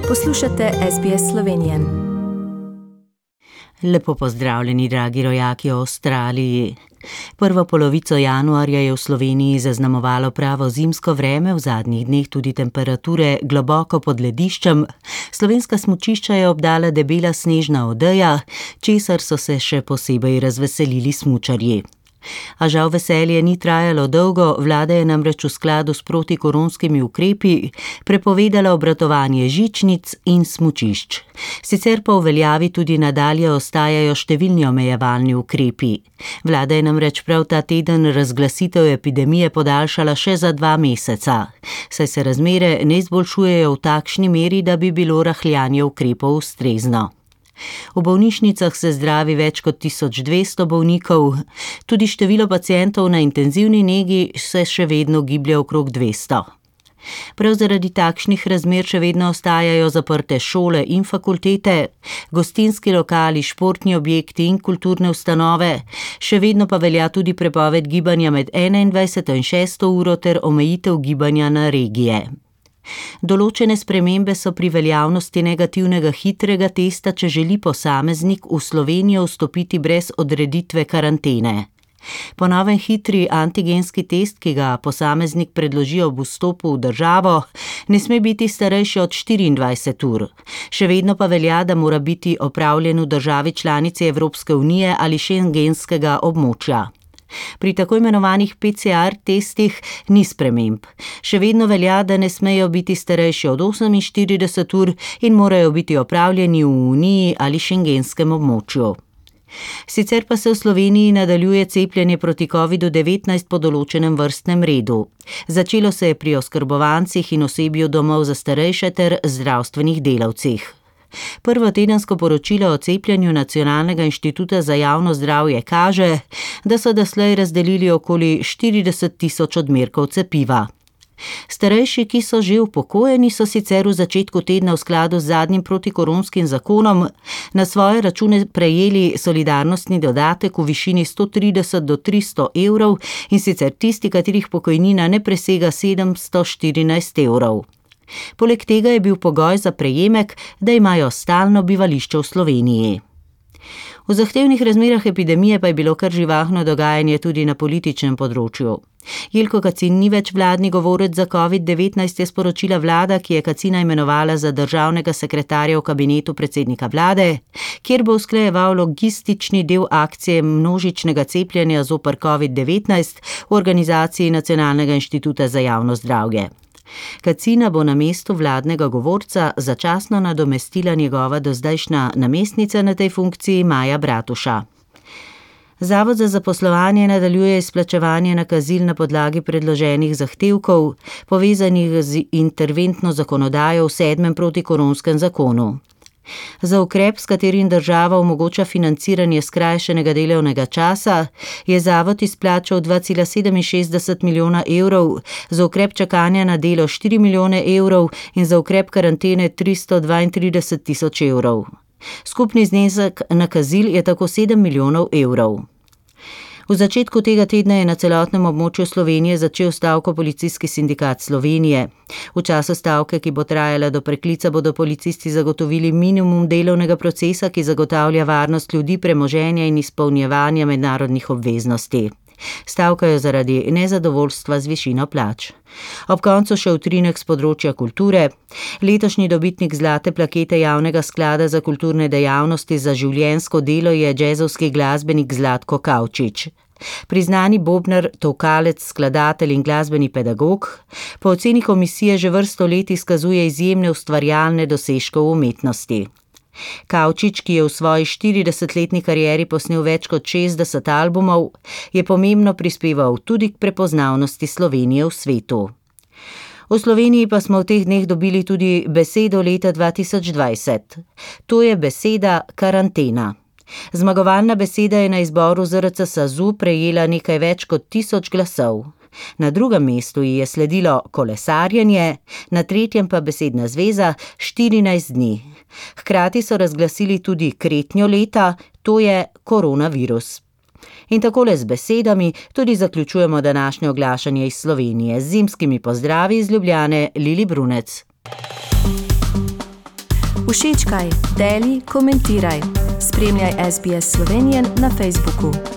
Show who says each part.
Speaker 1: Poslušate SBS Slovenije.
Speaker 2: Lepo pozdravljeni, dragi rojaki v Avstraliji. Prvo polovico januarja je v Sloveniji zaznamovalo pravo zimsko vreme, v zadnjih dneh tudi temperature globoko pod lediščem. Slovenska smučišča je obdala debela snežna odeja, česar so se še posebej razveselili smučarji. A žal veselje ni trajalo dolgo, vlada je namreč v skladu s protikoronskimi ukrepi prepovedala obratovanje žičnic in smučišč. Sicer pa v veljavi tudi nadalje ostajajo številni omejevalni ukrepi. Vlada je namreč prav ta teden razglasitev epidemije podaljšala še za 2 meseca, saj se razmere ne izboljšujejo v takšni meri, da bi bilo rahljanje ukrepov ustrezno. V bolnišnicah se zdravi več kot 1200 bolnikov, tudi število pacientov na intenzivni negi se še vedno giblje okrog 200. Prav zaradi takšnih razmer še vedno ostajajo zaprte šole in fakultete, gostinski lokali, športni objekti in kulturne ustanove, še vedno pa velja tudi prepoved gibanja med 21. in 6. uro ter omejitev gibanja na regije. Določene spremembe so pri veljavnosti negativnega hitrega testa, če želi posameznik v Slovenijo vstopiti brez odreditve karantene. Po novem hitri antigenski test, ki ga posameznik predloži ob vstopu v državo, ne sme biti starejši od 24 ur. Še vedno pa velja, da mora biti opravljen v državi članici Evropske unije ali šengenskega območja. Pri tako imenovanih PCR testih ni sprememb. Še vedno velja, da ne smejo biti starejši od 48 ur in morajo biti opravljeni v Uniji ali šengenskem območju. Sicer pa se v Sloveniji nadaljuje cepljenje proti COVID-19 po določenem vrstnem redu. Začelo se je pri oskrbovancih in osebju domov za starejše ter zdravstvenih delavcih. Prvo tedensko poročilo o cepljenju Nacionalnega inštituta za javno zdravje kaže, da so doslej razdelili okoli 40 000 odmerkov cepiva. Starejši, ki so že upokojeni, so sicer v začetku tedna v skladu z zadnjim protikoronskim zakonom na svoje račune prejeli solidarnostni dodatek v višini 130 do 300 evrov, in sicer tisti, katerih pokojnina ne presega 714 evrov. Poleg tega je bil pogoj za prejemek, da imajo stalno bivališče v Sloveniji. V zahtevnih razmerah epidemije pa je bilo kar živahno dogajanje tudi na političnem področju. Jelko Kacin ni več vladni govorec za COVID-19, je sporočila vlada, ki je Kacina imenovala za državnega sekretarja v kabinetu predsednika vlade, kjer bo usklajeval logistični del akcije množičnega cepljenja zoper COVID-19 v organizaciji Nacionalnega inštituta za javno zdravje. Kacina bo na mestu vladnega govorca začasno nadomestila njegova dozdajšnja namestnica na tej funkciji Maja Bratuša. Zavod za zaposlovanje nadaljuje izplačevanje nakazil na podlagi predloženih zahtevkov, povezanih z interventno zakonodajo v 7. protikoronskem zakonu. Za ukrep, s katerim država omogoča financiranje skrajšanega delovnega časa, je zavod izplačal 2,67 milijona evrov, za ukrep čakanja na delo 4 milijone evrov in za ukrep karantene 332 000 evrov. Skupni znesek nakazil je tako 7 milijonov evrov. V začetku tega tedna je na celotnem območju Slovenije začel stavko Policijski sindikat Slovenije. V času stavke, ki bo trajala do preklica, bodo policisti zagotovili minimum delovnega procesa, ki zagotavlja varnost ljudi, premoženja in izpolnjevanja mednarodnih obveznosti. Stavkajo zaradi nezadovoljstva z višino plač. Ob koncu še utrinek s področja kulture. Letošnji dobitnik zlate plakete Javnega sklada za kulturne dejavnosti za življenjsko delo je džezovski glasbenik Zlatko Kavčič. Priznani bobnar, tolkalec, skladatelj in glasbeni pedagog, po oceni komisije že vrsto let izkazuje izjemne ustvarjalne dosežke v umetnosti. Kavčič, ki je v svoji 40-letni karieri posnel več kot 60 albumov, je pomembno prispeval tudi k prepoznavnosti Slovenije v svetu. V Sloveniji pa smo v teh dneh dobili tudi besedo leta 2020. To je beseda karantena. Zmagovalna beseda je na izboru ZRC SAZU prejela nekaj več kot 1000 glasov. Na drugem mestu ji je sledilo kolesarjenje, na tretjem pa besedna zveza 14 dni. Hkrati so razglasili tudi kretnjo leta, to je koronavirus. In takole z besedami tudi zaključujemo današnje oglašanje iz Slovenije. Z zimskimi pozdravi iz Ljubljane, Lili Brunec.
Speaker 1: Všečkaj, deli, komentiraj. Spremljaj SBS Slovenian na Facebooku.